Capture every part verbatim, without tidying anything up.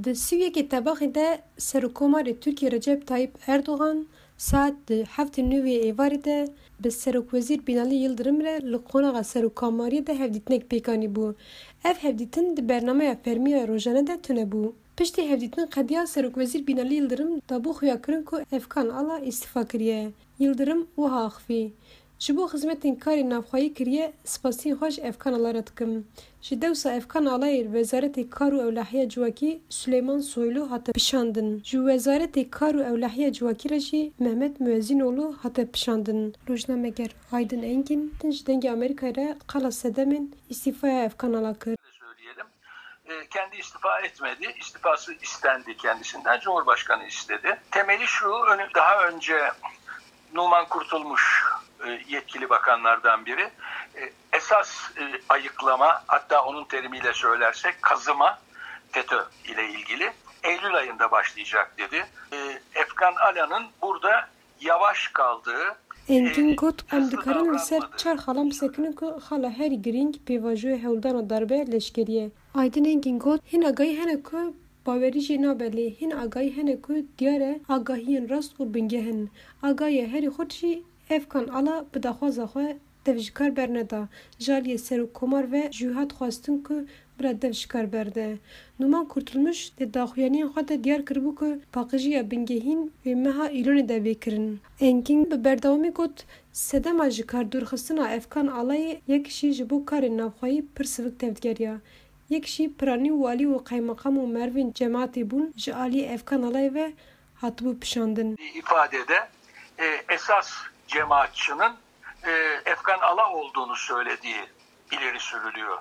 Di sî û yekê Tebaxê de Serokkomarê Tirkiyê Recep Tayyip Erdogan saet di heftê nû êvarê de bi Serokwezîr Binali Yildirim re li qonaxa Serokkomariyê de hevdîtinek pêk anîbû. Ev hevdîtin di bernameya fermî ya rojane de tune bû. Piştî hevdîtin qediya Serokwezîr Binali Yildirim dabû xuyakirin ku Efkan Ala îstîfa kiriye. Yildirim wiha axivî: Ji bo xizmetên karê navxweyî kiriye, spasiyên xwe ji Efkan Ala re dikim. Ji dewsa Efkan Alayê li Wezaretê Kar û Ewlehiya Civakî Suleyman Soylu hate pişandin. Ji Wezaretê Kar û Ewlehiya Civakî re jî Mehmet Muezzînoğlu hate pişandin. Rojnameger Aydın Engin ji Dengê Amerîkayê re qala sedemên îstîfaya Efkan Ala kir. Söyleyelim. E, kendi istifa etmedi. İstifası istendi kendisinden. Cumhurbaşkanı istedi. Temeli şu, önü, daha önce Numan Kurtulmuş e, yetkili bakanlardan biri. E, esas e, ayıklama, hatta onun terimiyle söylersek kazıma, FETÖ ile ilgili Eylül ayında başlayacak dedi. E, Efkan Ala'nın burada yavaş kaldığı, Engin got: Em dikarin li ser çar xalan bisekinin ku xala herî girîng pêvajoya hewldana darbe leşkerî ye. Aydın Engin got: Hin agahî hene ku bawerî jê nabe, lê hin agahî hene ku diyar e agahiyên rast û bingeh in. Agahiya herî xurt jî Efkan Ala bi daxwaza xwe dev ji kar berneda. Ji aliyê Serokkomar ve jû hat xwestin ku bila dev ji kar berde. Numan Kurtulmuş di daxuyaniyên xwe de diyar kiribû ku paqijiya bingehîn wê meha Îlonê de bê kirin. Engin bi berdewamî got: Sedema ji kar dûrxistina Efkan Alayê yek jî ji bo karên navxweyî pir sivik tevdigeriya. Yek jî piranî û walî û qeymeqam û merivên cemaetê bûn ji aliyê Efkan Alayê ve hatibû pişandin. ifadede e, esas cemaatçının e, Efkan Ala olduğunu söylediği ileri sürülüyor.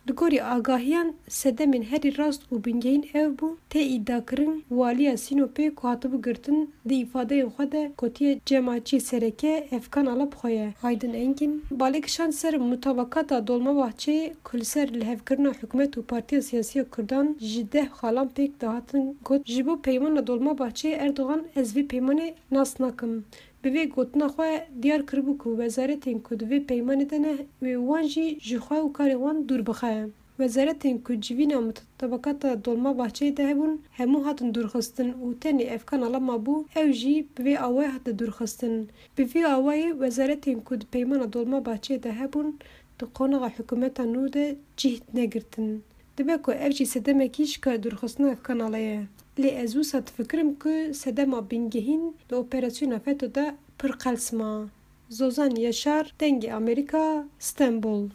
Li gorî agahiyan, sedemên herî rast û bingehîn ew bû, tê îdiakirin waliya Sînopê ku hatibû girtin, di îfadeyên xwe de gotiye cemaetçiyê sereke Efkan Ala bi xwe ye. Aydın Engin balê kişand ser mutabakata Dolmabahçeyê ku li ser lihevkirina hikûmet û partiya siyasî ya Kurdan ji deh xalan pêk dihatin, got: Ji bo peymana Dolmabahçeyê Erdogan, ez vê peymanê nas nakim. Bi vê gotina xwe diyar kiribû ku wezaretên ku di vê peymanê de ne, wê wan jî ji xwe û karên wan dûr bixe. Wezaretên ku civîna mutabakata Dolmabahçeyê de hebûn, hemû hatin dûrxistin û tenê Efkan Ala mabû, ew jî bi vê awayê hate dûrxistin. Bi vî awayî wezaretên ku di peymana Dolmabahçeyê de hebûn, di qonaxa hikûmeta nû de cih negirtin. Dibe ku ev jî sedemekî ji kar dûrxistina Efkan Ala ye. Lê ez wisa difikirim ku sedema bingehîn li operasyona FETÖ de pir qels ma. Zozan Yaşar, Dengê Amerîka, Stenbol.